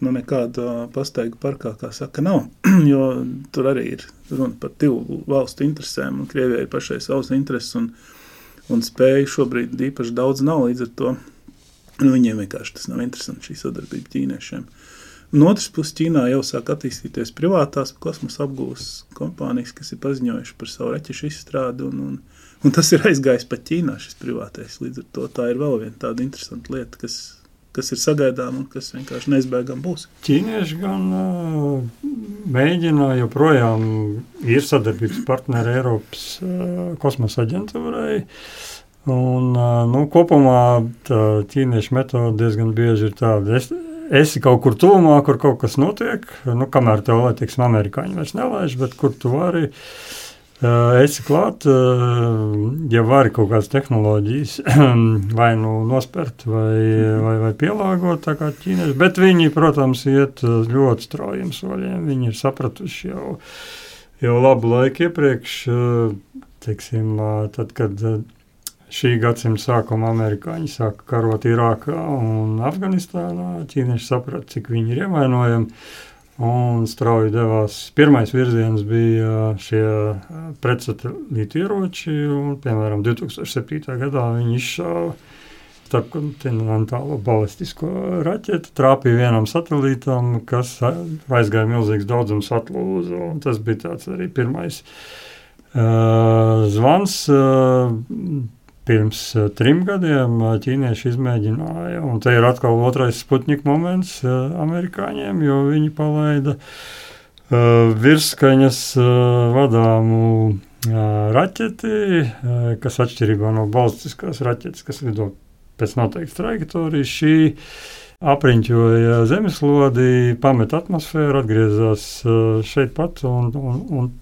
nekāda pastaigu parkā, kā saka, nav, jo tur arī ir runa par divu valstu interesēm, un Krievijai ir pašai savas intereses, un spēju šobrīd īpaši daudz nav, līdz ar to viņiem vienkārši tas nav interesanti šī sadarbība ķīniešiem. Un otrs puses Ķīnā jau sāk attīstīties privātās kosmosa apgūves kompānijas, kas ir paziņojuši par savu raķešu izstrādi, un tas ir aizgājis pat Ķīnā šis privātais. Līdz ar to tā ir vēl viena tāda interesanta lieta, kas ir sagaidām un kas vienkārši neizbēgam būs. Ķīnieši gan mēģina joprojām ir sadarbības partneri Eiropas kosmosa aģentūrai, un kopumā tā ķīniešu metode diezgan bieži ir tāda. Esi kaut kur tuvumā, kur kaut kas notiek, kamēr tev, lai teiksim, amerikāņi vairs nelaiž, bet kur tu vari, esi klāt, ja vari kaut kādas tehnoloģijas vai nospert vai pielāgot, tā kā ķīnieši, bet viņi, protams, iet ļoti straujiem soļiem, viņi ir sapratuši jau labu laiku iepriekš, teiksim, tad, kad šī gadsimta sākuma amerikāņi sāka karot Irākā un Afganistānā. Ķīnieši saprata, cik viņi ir ievainojami, un strauji devās. Pirmais virziens bija šie pretsatelīti ieroči, un, piemēram, 2007. gadā viņi izšāva starpkontinentālo balistisko raķeti, trāpīja vienam satelītam, kas aizgāja milzīgs daudzums atlūzu, un tas bija tāds arī pirmais zvans. Pirms 3 gadiem ķīnieši izmēģināja, un te ir atkal otrais Sputņika moments amerikāņiem, jo viņi palaida virsskaņas vadāmu raķeti, kas atšķirībā no balistiskās raķetes, kas lido pēc noteiktas trajektorijas, šī apriņķoja zemeslodi, pamet atmosfēru, atgriezās šeit pat un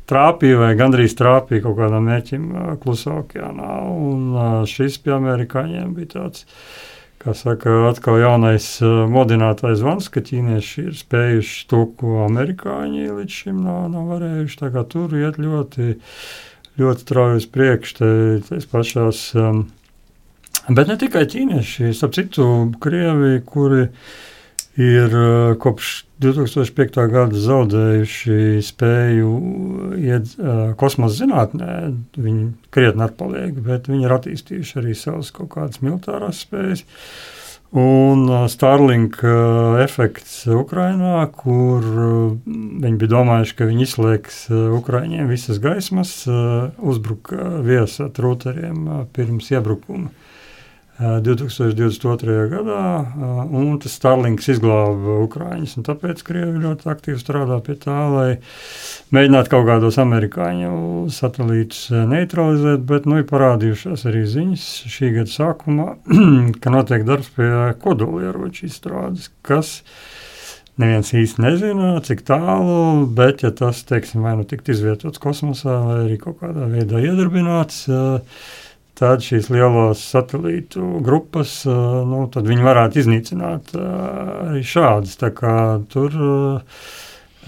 trāpīja vai gandrīz trāpīja kaut kādam mērķim Klusā okeānā, un šis pie amerikāņiem bija tāds, kā saka, atkal jaunais modinātais zvans, ka ķīnieši ir spējuši to, ko amerikāņi līdz šim nav varējuši, tā kā tur iet ļoti, ļoti strauji uz priekšu, tais pašās, bet ne tikai ķīnieši, starp citu Krievi, kuri ir kopš 2005. gada zaudējuši spēju iet kosmosa zinātnē, viņi krietni atpaliek, bet viņi ir attīstījuši arī savas kaut kādas militārās spējas. Un Starlink efekts Ukrainā, kur viņi bija domājuši, ka viņi izslēgs Ukraiņiem visas gaismas, uzbruka viesa ar rūteriem pirms iebrukuma 2022. gadā, un tas Starlinks izglāba Ukraiņus, un tāpēc Krievi ļoti aktīvi strādā pie tā, lai mēģinātu kaut kādos amerikāņu satelītus neutralizēt, bet ir parādījušās arī ziņas šī gada sākumā, ka notiek darbs pie kodolieroču izstrādes, kas neviens īsti nezina, cik tālu, bet ja tas, teiksim, vai tikt izvietots kosmosā, vai arī kaut kādā veidā iedarbināts, tad šīs lielās satelītu grupas, tad viņi varētu iznīcināt arī šādas. Tā kā tur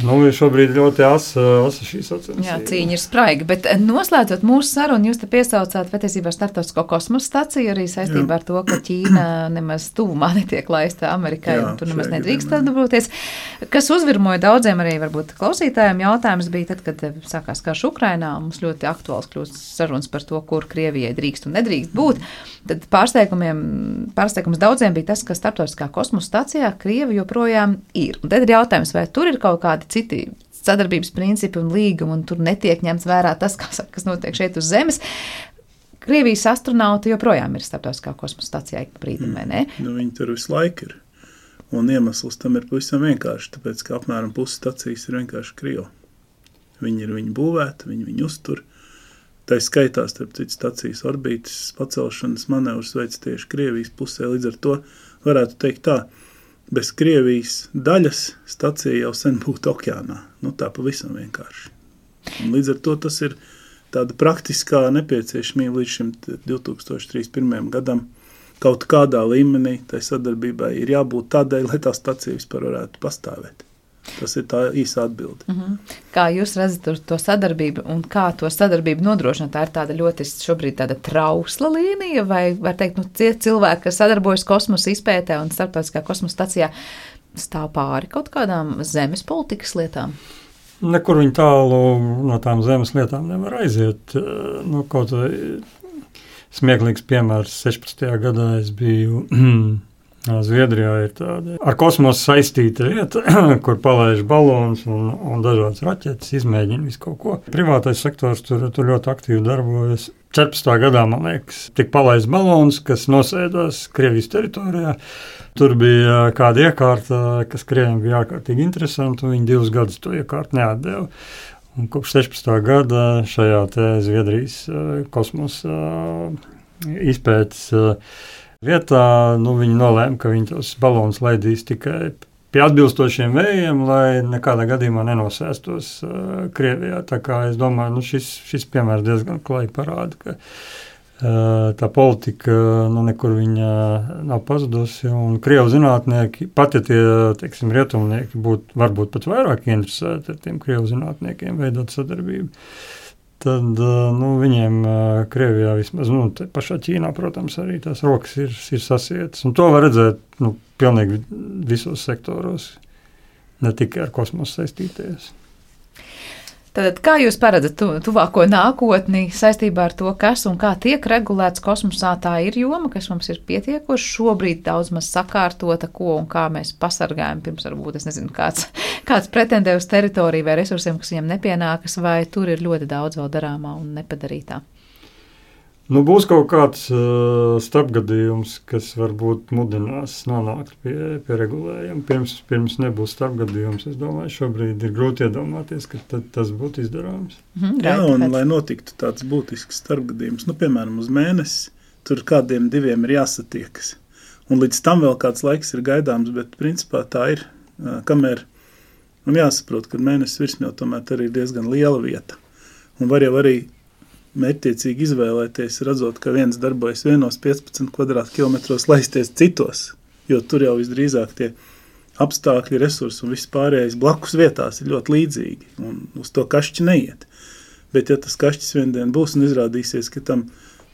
ir šobrīd ļoti asa šī sacensība. Jā, cīņa ir spraiga, bet noslēdzot mūsu sarunu, jūs te piesaucāt patiesībā Startautisko kosmosa staciju arī saistībā ar to, ka Ķīna nemaz tuvumā netiek laista Amerikai, un tur nemaz nedrīkst darboties. Kas uzvirmoja daudziem arī varbūt klausītājiem jautājums bija tad, kad sākās karš Ukrainā, mums ļoti aktuāls kļūst sarunas par to, kur Krievijai drīkst un nedrīkst būt. Tad pārsteigums daudziem bija tas, ka starptautiskā kosmosa stacijā Krievi joprojām ir. Un tad ir jautājums, vai tur ir kaut kādi citi sadarbības principi un līgumi, un tur netiek ņemts vērā tas, kas notiek šeit uz Zemes. Krievijas astronauti joprojām ir starptautiskā kosmosa stacijā ik brīdim, vai ne? Nu, viņi tur visu laiku ir. Un iemesls tam ir pavisam vienkārši, tāpēc, ka apmēram pusi stacijas ir vienkārši Krievi. Viņi ir viņu būvēti, viņi uztur. Tā skaitā, starp citu, stacijas orbītas pacelšanas manevrus veic tieši Krievijas pusē, līdz ar to varētu teikt tā, bez Krievijas daļas stacija jau sen būtu okeānā. Nu, tā pavisam vienkārši. Un līdz ar to tas ir tāda praktiskā nepieciešamība līdz šim 2031. gadam. Kaut kādā līmenī tai sadarbībai ir jābūt tādai, lai tā stacija vispār varētu pastāvēt. Tas ir tā īsa atbilde. Kā jūs redzat to sadarbību un kā to sadarbību nodrošināt? Tā ir tāda ļoti šobrīd tāda trausla līnija, vai var teikt, tie cilvēki, kas sadarbojas kosmosa izpētē un starptautiskā kosmosa stacijā, stāv pāri kaut kādām zemes politikas lietām? Nekur viņi tālu no tām zemes lietām nevar aiziet. Kaut vai smieklīgs piemērs 16. gadā es biju Zviedrijā ir tāda ar kosmosu saistīta vieta, kur palaiž balons un dažādas raķetes, izmēģina visu kaut ko. Privātais sektors tur ļoti aktīvi darbojas. 14. gadā, man liekas, tika palaists balons, kas nosēdās Krievijas teritorijā. Tur bija kāda iekārta, kas Krieviem bija ārkārtīgi interesanti, un viņi 2 gadus to iekārtu neatdeva. Un kopš 16. gada šajā te Zviedrijas kosmosa izpētes vietā, viņi nolēma, ka viņi tos balonus laidīs tikai pie atbilstošiem vējiem, lai nekādā gadījumā nenosēstos Krievijā. Tā kā es domāju, šis piemērs diezgan klāji parāda, ka tā politika nekur viņa nav pazudusi, un Krievu zinātnieki, pat ja tie, teiksim, rietumnieki varbūt pat vairāk interesēti ar tiem Krievu zinātniekiem veidot sadarbību, tad viņiem Krievijā vismaz, pašā Ķīnā, protams, arī tās rokas ir sasietas. Un to var redzēt pilnīgi visos sektoros, ne tikai ar kosmosu saistīties. Tad kā jūs paredzat tuvāko nākotni saistībā ar to, kas un kā tiek regulēts kosmosā? Tā ir joma, kas mums ir pietiekoši šobrīd daudz maz sakārtota, ko un kā mēs pasargājam pirms varbūt, es nezinu, kāds pretendē uz teritoriju vai resursiem, kas viņam nepienākas, vai tur ir ļoti daudz vēl darāmā un nepadarītā? Būs kaut kāds starpgadījums, kas varbūt mudinās nonākt pie regulējuma. Pirms nebūs starpgadījums, es domāju, šobrīd ir grūti iedomāties, ka tas būtu izdarāms. Jā, un lai notiktu tāds būtisks starpgadījums, piemēram, uz mēnesi, tur kādiem 2 ir jāsatiekas. Un līdz tam vēl kāds laiks ir gaidāms, bet principā tā ir, kamēr, un jāsaprot, ka mēnesis virsmē tomēr arī ir diezgan liela vieta. Un var jau arī mērķtiecīgi izvēlēties, redzot, ka viens darbojas vienos 15 kvadrātkilometros, laisties citos, jo tur jau visdrīzāk tie apstākļi, resursi un viss pārējais blakus vietās ir ļoti līdzīgi, un uz to kašķi neiet. Bet ja tas kašķis viendien būs un izrādīsies, ka tam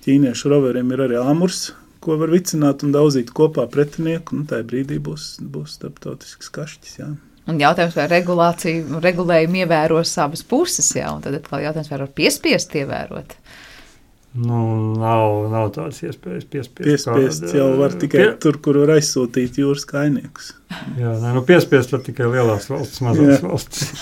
ķīniešu roveriem ir arī āmurs, ko var vicināt un daudzīt kopā pretinieku, tajā brīdī būs starptautisks kašķis, jā. Un jautājums, vai regulējumu ievēros abas puses, jā, un tad atkal jautājums, vai var piespiest ievērot? Nav tādas iespējas piespiest jau var tikai tur, kur var aizsūtīt jūras kainiekus. Jā, piespiest var tikai lielās valsts, mazās valsts.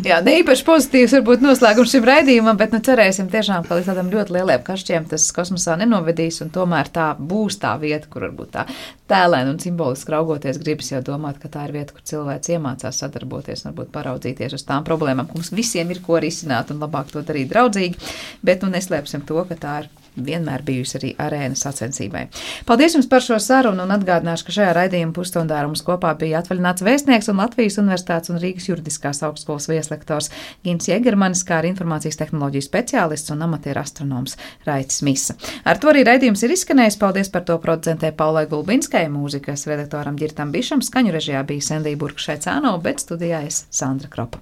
Jā, ne īpaši pozitīvs varbūt noslēgums šim raidījumam, bet cerēsim tiešām, ka līdz tādam ļoti lieliem kašķiem tas kosmosā nenovedīs, un tomēr tā būs tā vieta, kur varbūt tā tēlēn un simboliski raugoties gribas jau domāt, ka tā ir vieta, kur cilvēks iemācās sadarboties un varbūt paraudzīties uz tām problēmām, ka mums visiem ir ko risināt un labāk to darīt draudzīgi, bet neslēpsim to, ka tā ir vienmēr bijusi arī arēna sacensībai. Paldies jums par šo sarunu un atgādināšu, ka šajā raidījuma pusstundā ar mums kopā bija atvaļināts vēstnieks un Latvijas Universitātes un Rīgas juridiskās augstskolas vieslektors Gins Jegermanis, kā arī informācijas tehnoloģiju speciālists un amatieru astronoms Raitis Misa. Ar to arī raidījums ir izskanējis. Paldies par to producentē Paulai Gulbinskai, mūzikas redaktoram Ģirtam Bišam, skaņu režijā bija Sendija Burkšaicāno, bet studijā es Sandra Kropa.